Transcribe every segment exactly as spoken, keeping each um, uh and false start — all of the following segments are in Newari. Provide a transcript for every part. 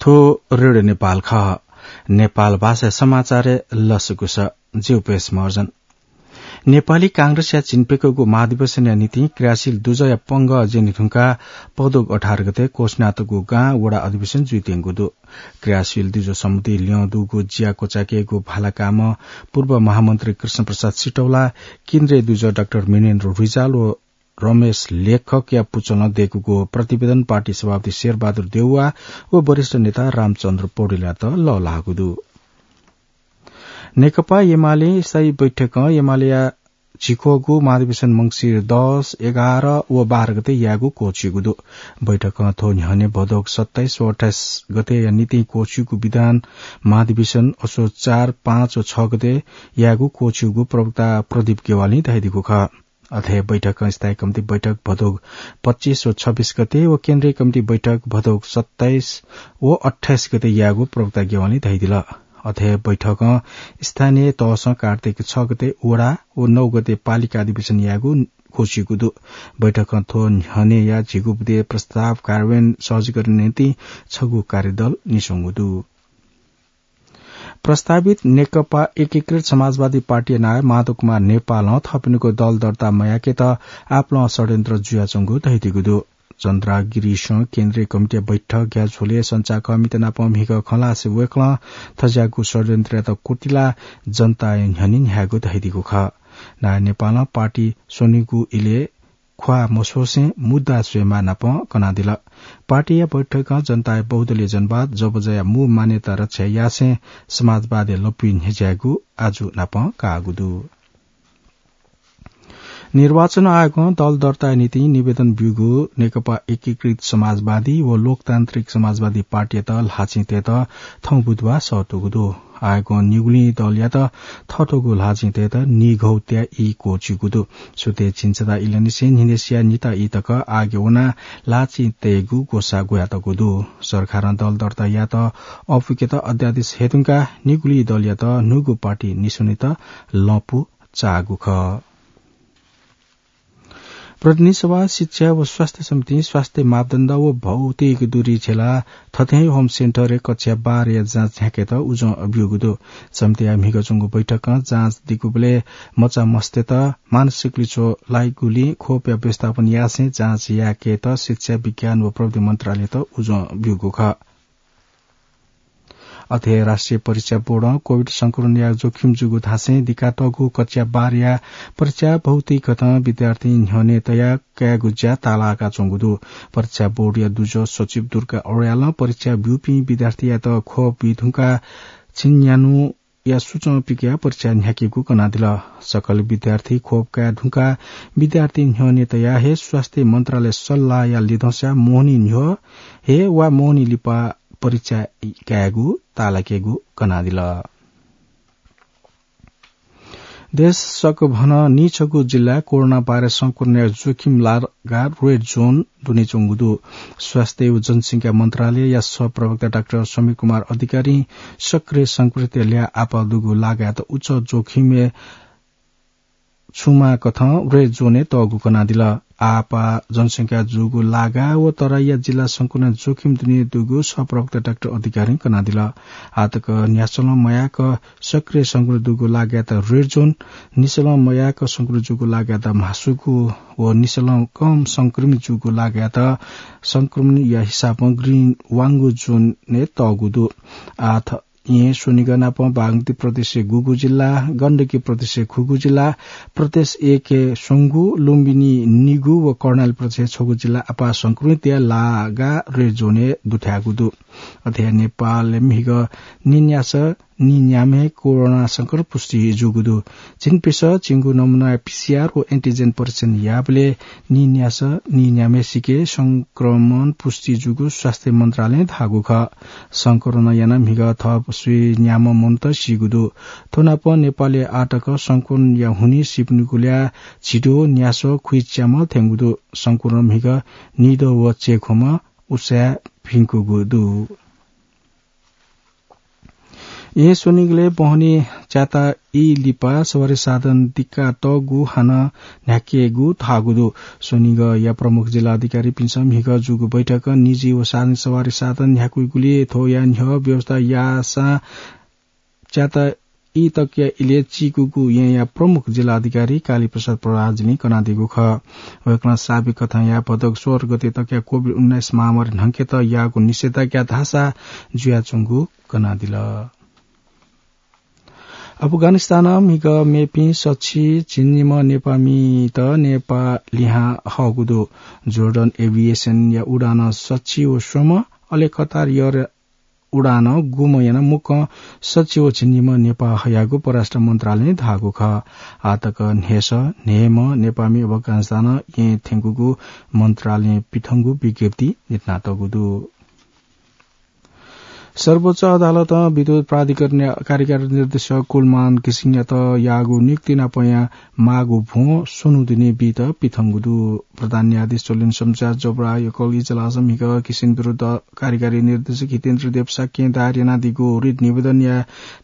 थ्व रेडियो नेपाल खः। नेपाल भाषा समाचारय् लसकुस। ज्यू पेश मर्जन। नेपाली कांग्रेसया झिंप्यकःगु महाधिवेशनया निंतिं क्रियाशील दुजःया पंगः ज्यने धुंकाः पदोग अठार गते कोशनाथगु गां वडा अधिवेशन जुइत्यंगु दु। क्रियाशील दुजः सम्बन्धी ल्यं दुगु ज्या क्वचायेकेगु भालाकामं पूर्व महामन्त्री कृष्णप्रसाद सिटौला, केन्द्रीय दुजः डाक्टर मिनेन्द्र रिजाल व रमेश लेखकया पुचलं दय्कूगु प्रतिवेदन पार्टी सभापति शेरबहादुर देउवा व वरिष्ठ नेता रामचन्द्र पौडेलयात लःल्हाःगु दु। नेकपा एमाले स्थायी बैठकं एमालेया झिक्वःगु महाधिवेशन मंसिर दस, एघार व बाह्र गते यायेगु क्वःछिउगु दु। बैठकं थ्व न्ह्यःने भदौक सत्ताइस व अट्ठाइस गतेया निंतिं क्वःछिउगु विधान महाधिवेशन असोज चार, पाँच व छ गते यायेगु क्वःछिउगु प्रवक्ता प्रदीप गेवालीं धयादीगु खः। अथे बैठकं स्थायी कमिटी बैठक भदौक पच्चिस व छब्बिस गते व केन्द्रीय कमिटी बैठक भदौक सत्ताइस व अट्ठाइस गते यायेगु प्रवक्ता गेवालीं धयादिल। अथे बैठकं स्थानीय तहसं कार्तिक छ गते वडा व नौ गते पालिका अधिवेशन यायेगु क्वःछिउगु दु। बैठकं थ्व न्ह्यःनेया झिगू बुँदे प्रस्ताव कार्यान्वयन सहजीकरण निंतिं छगू कार्यदल निस्वंगु दु। प्रस्तावित नेकपा एकीकृत समाजवादी पार्टीया नायः माधव कुमार नेपालं थःपिनिगु दल दर्ता मयाकेत आपालं षड्यन्त्र जुयाच्वंगु धयादीगु दु। चन्द्रा गिरीसं केन्द्रीय कमिटीया बैठक ग्याःझ्वलय् सञ्चारकर्मीत नाप म्हिगः खँ ल्हासे वय्कलं थज्याःगु षड्यन्त्रयात क्वतिलाः जनताया न्ह्यःने न्ह्याःगु धयादीगु खः। नायः नेपालं पार्टी स्वनिगु इलय् ख्वाः मस्वसें मुद्दा स्वयेमाः नाप कनादिल। पार्टीया बैठकं जनताया बहुदलीय जनवाद जबजया मू मान्यता रक्षा यासें समाजवादया लँपुइ न्ह्यज्यायेगु आजु नाप काःगु दु। निर्वाचन आयोगं दल दर्ताया निंतिं निवेदन ब्यूगु नेकपा एकीकृत समाजवादी व लोकतान्त्रिक समाजवादी पार्टीयात ल्हाःचिं तयेत थौं बुधबार सःतूगु दु। आयोगं निगुलिं दलयात थःथःगु ल्हाःचिं तयेत निघौ त्याः ई क्वःछिउगु दु। सुथय् झिंछता इलंनिसें न्हिनय्सिया निता ई तक आयोगय् वनाः ल्हाःचिं तयेगु ग्वसाः ग्वयातःगु दु। सरकारं दल दर्ता यायेत अःपुकेत अध्यादेश हयेधुंकाः निगुलिं दलयात न्हूगु पार्टी निस्वनेत लँपु चाःगु खः। प्रतिनिधि सभा, शिक्षा व स्वास्थ्य समितिं स्वास्थ्य मापदण्ड व भौतिक दूरी झेलाः थथें होम सेन्टरय् कक्षा बाह्रया जाँच न्ह्याकेत उजं ब्यूगु दु। समितिया म्हिगः च्वंगु बैठकं जाँच दीगुबलय् मचा मस्तय्त मानसिक लिच्वः लाइगुलिं ख्वपया व्यवस्थापन यासें जाँच याकेत शिक्षा, विज्ञान व प्रविधि मन्त्रालययात उजं ब्यूगु खः। अथे राष्ट्रिय परीक्षा बोर्डं कोभिड संक्रमणया जोखिम जूगु धासें दिकातःगु कक्षा बाह्रया परीक्षा भौतिक कथं विद्यार्थी न्ह्यःने तयाः कायेगु ज्या ताःलाकाच्वंगु दु। परीक्षा बोर्डया दुजः सचिव दुर्गा अर्यालं परीक्षा ब्यूपिं विद्यार्थीयात ख्वप बी धुंकाः झिंन्यान्हुया सुचं पिकयाः परीक्षा न्ह्याकेगु कनादिल। सकल विद्यार्थी ख्वप काये धुंकाः विद्यार्थी न्ह्यःने तयाः हे स्वास्थ्य मन्त्रालय सल्लाहया लिधंसा मोहनी न्ह्यः हे वा मोहनी लिपा परीक्षा कायेगु ताःलाकेगु कनादिल। देश सकभनं नीछगू जिल्ला कोरोना भाइरस संक्रमणया जोखिम लागा रेड जोन दुनेच्वंगु दु। स्वास्थ्य व जनसंख्या मन्त्रालयया सहप्रवक्ता डाक्टर समीर कुमार अधिकारीं सक्रिय संक्रमितया ल्याः आपाः दुगु लागायात उच्च जोखिमय् छुमा कथं रेड जोनय् तःगु कनादिल। आपाः जनसंख्या जूगु लागा व तराईया जिल्ला संक्रमण जोखिम दुने दुगु सहप्रवक्ता डाक्टर अधिकारीं कनादिल। आःतक न्ह्यासलं मयाक सक्रिय संक्रमित दुगु लागायात रेड जोन, निसलं मयाक संक्रमित जूगु लागायात म्हासुगु व निसलं कम संक्रमित जूगु लागायात संक्रमणया हिसाबं ग्रीन वांगु जोनय् तःगु दु। आः येँ स्वनिगः नाप बागमती प्रदेशय् गुगु जिल्ला, गण्डकी प्रदेशय् खुगू जिल्ला, प्रदेश एकय् स्वंगू, लुम्बिनी निगू व कर्णाली प्रदेशय् छगू जिल्ला आपाः संक्रमितया लागा रेड जोनय् दुथ्याःगु दु। अथे नेपालय् म्हिगः निन्यासः निन्याम्ह कोरोना संक्रमण पुष्टि जूगु दु। झिंप्यसः झिंगु नमुनाय् पीसीआर व एन्टिजेन परीक्षण याःबलय् निन्यासः निन्याम्हसिके संक्रमण पुष्टि जूगु स्वास्थ्य मन्त्रालयं धाःगु खः। संक्रमण यानाः म्हिगः थप स्वीन्याम्ह मनूत सीगु दु। थ्व नाप नेपालय् आःतक संक्रमणया हुनिं सीपिनिगु ल्याः झिद्वः न्यासः खुइच्याम्ह थ्यंगु दु। संक्रमण म्हिगः निद्वः व चय्खुम्ह उसाँय् भिंकूगु दु। येँ स्वनिगलय् बहनी च्याता ई लिपा सवारी साधन दिक्का तःगु हानं न्ह्याकेगु धाःगु दु। स्वनिगःया प्रमुख जिल्लाधिकारीपिन्सं म्हिगः जूगु बैठकं निजी व सार्वजनिक सवारी साधन न्ह्याकुइगुलिं थ्वया न्ह्यः व्यवस्था याःसां च्याता ई तकया इलय् चीकूगु येँया प्रमुख जिल्लाधिकारी कालीप्रसाद प्रधानजुलिं कनादीगु खः। वय्कलं साबिक कथंया भदौ सोह्र गते तकया कोभिड उन्नाइस महामारी न्हंकेत याःगु निषेधाज्ञा धाःसा जुयाच्वंगु कनादिल। अफगानिस्तानं म्हिगः मेपिं सछि झिंनिम्ह नेपाःमित नेपाः लिहां हःगु दु। जोर्डन एभिएसनया उडानं सछि व स्वम्ह, अले कतार एयर उडानं गुम्ह यानाः मुक्कं सछि व झिंनिम्ह नेपाः हयागु परराष्ट्र मन्त्रालयं धाःगु खः। आःतक न्हय्सः न्हय्म्ह नेपाःमि अफगानिस्तानं येँ थ्यंकूगु मन्त्रालयं पिथंगु विज्ञप्ति न्ह्यथनातःगु दु। सर्वोच्च अदालतं विद्युत प्राधिकरणया कार्यकारी निर्देशक कुलमान घिसिङयात याःगु नियुक्ति नापंया माःगु भ्वं स्वन्हु दुने बीत पिथंगु दु। प्रधान न्यायाधीश चोलेन शमशेर जबराह एकल इजलासं म्हिगः घिसिङ विरुद्ध कार्यकारी निर्देशक हितेन्द्र देव शाक्यं दायर यानादीगु रिट निवेदनया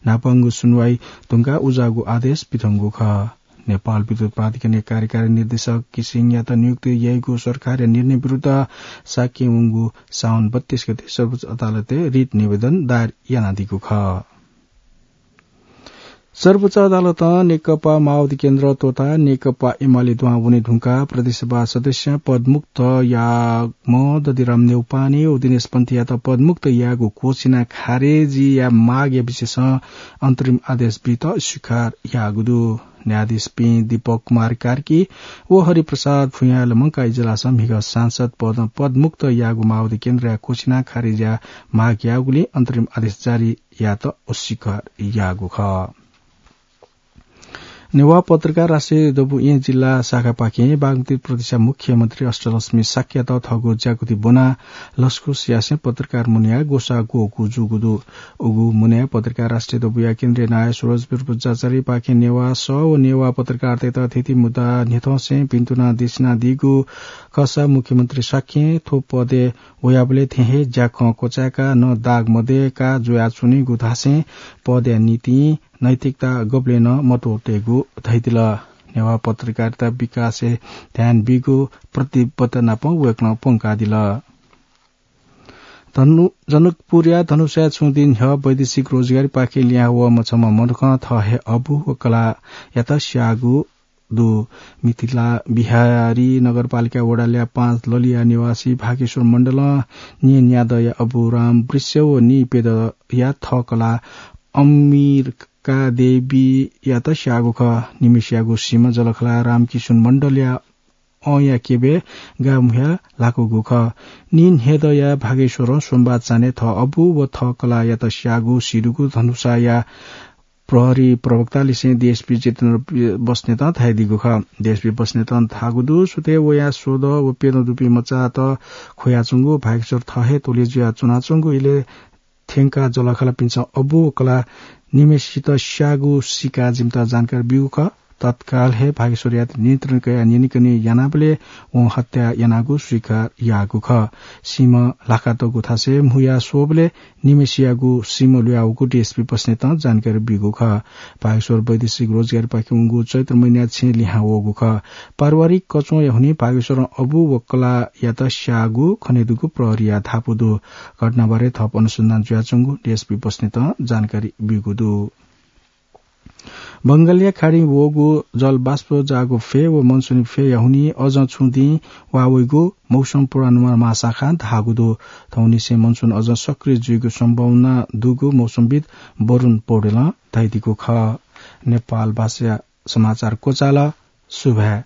न्हापांगु सुनवाई धुंकाः उज्याःगु आदेश पिथंगु खः। नेपाल विद्युत प्राधिकरणया कार्यकारी निर्देशक घिसिङयात नियुक्ति याइगु सरकारया निर्णय विरुद्ध शाक्यं वंगु साउन बत्तीस गते सर्वोच्च अदालतय् रिट निवेदन दायर यानादीगु खः। सर्वोच्च अदालतं नेकपा माओवादी केन्द्र त्वःताः नेकपा एमाले दुहां वने धुंकाः प्रदेशसभा सदस्य पदमुक्त याःम्ह दधिराम न्यौपाने व दिनेश पन्थीयात पदमुक्त यायेगु घोषणा खारेजीया मागया विषयसं अन्तरिम आदेश बीत अस्वीकार याःगु दु। न्यायाधीशपिं दीपक कुमार कार्की व हरिप्रसाद भुयाँया लुमंकाः इजलासं म्हिगः सांसद पदं पदमुक्त याःगु माओवादी केन्द्रया घोषणा खारेजीया माग याःगुलिं अन्तरिम आदेश जारी यायेत अस्वीकार याःगु खः। नेवाः पत्रकार राष्ट्रिय दबू येँ जिल्ला शाखापाखें बागमती प्रदेशया मुख्यमन्त्री अष्टलक्ष्मी शाक्ययात थःगु ज्याकुथि ब्वनाः लसकुस यासें पत्रकार मुनाया ग्वसाः ग्वःगु जूगु दु। उगु मुनाय् पत्रकार राष्ट्रिय दबूया केन्द्रीय नायः सुरजवीर बज्राचार्यपाखें नेवाः सः व नेवाः पत्रकारतय्त थीथी मुद्दा न्ह्यथंसें भिन्तुना देछानादीगु खःसा मुख्यमन्त्री शाक्यं थ्व पदय् वयाबलय् थें हे ज्याखँ क्वचाय्काः नं दाग मदय्काः जुयाच्वनीगु धासें पदया निंतिं नैतिकता गबलें नं मत्वःतेगु धयादिल। नेवाः पत्रकारिता विकासय् ध्यान बीगु प्रतिबद्धता नापं वय्कलं प्वंकादिल। धनु-, जनकपुरया धनुषाय् छुं दिं न्ह्यः वैदेशिक रोजगारीपाखें लिहां वःम्ह छम्ह मनुखं थः हे अबु व कलाःयात स्याःगु दु। मिथिला बिहारी नगरपालिका वडा ल्याः पाँच ललिया निवासी भागेश्वर मण्डलं निं न्यादँया अबु राम वृष्य व निं प्यदँया थः कलाः अम्बिका देवीयात स्याःगु खः। निम्हेसियागु सीम्ह जःलाखःला रामकिशुन मण्डलया अंया केबे गाःमुया ल्हाकूगु खः। निं न्हय्दँया भागेश्वरं सोमबार चान्हय् थः अबु व थः कलाःयात स्याःगु सीदुगु धनुषाया प्रहरी प्रवक्तालिसें डिएसपी जितेन्द्र बस्नेतं धयादीगु खः। डिएसपी बस्नेतं धाःगु दु, सुथय् वया स्वदँ व प्यदँ दुपिं मचात ख्वयाच्वंगु भागेश्वर थः हे त्वलय् जुया च्वनाच्वंगु इलय् थ्यंकाः जःलाखःलापिन्सं अबु व कलाः निम्हेसित स्याःगु सीकाः जिमित जानकारी ब्यूगु खः। तत्काल हे भागेश्वरयात नियन्त्रण कयाः न्यनेकने यानाबलय् वं हत्या यानागु स्वीकार याःगु खः। सीम्ह ल्हाकातःगु थासय् म्हुया स्वःबलय् निम्हेसियागु सीम्ह लुयावःगु डिएसपी बस्नेतं जानकारी ब्यूगु खः। भागेश्वर वैदेशिक रोजगारीपाखें वंगु चैत्र महिनाय् छेँ लिहां वःगु खः। पारिवारिक कच्वंया हुनिं भागेश्वरं अबु व कलाःयात स्याःगु खनेदुगु प्रहरीया धापू दु। घटनाबारे थप अनुसन्धान जुयाच्वंगु डिएसपी बस्नेतं जानकारी ब्यूगु दु। बंगालया खाडिं वःगु जलबाष्प जाःगु फय् व मनसुनी फय्‌या हुनिं अझ छुं दिं वाः वइगु मौसम पूर्वानुमान महाशाखां धाःगु दु। थौंनिसें मनसुन अझ सक्रिय जुइगु सम्भावना दुगु मौसमविद् वरुण पौडेलं धयादीगु खः। नेपाल भाषा समाचार क्वचाल। सुभाय्।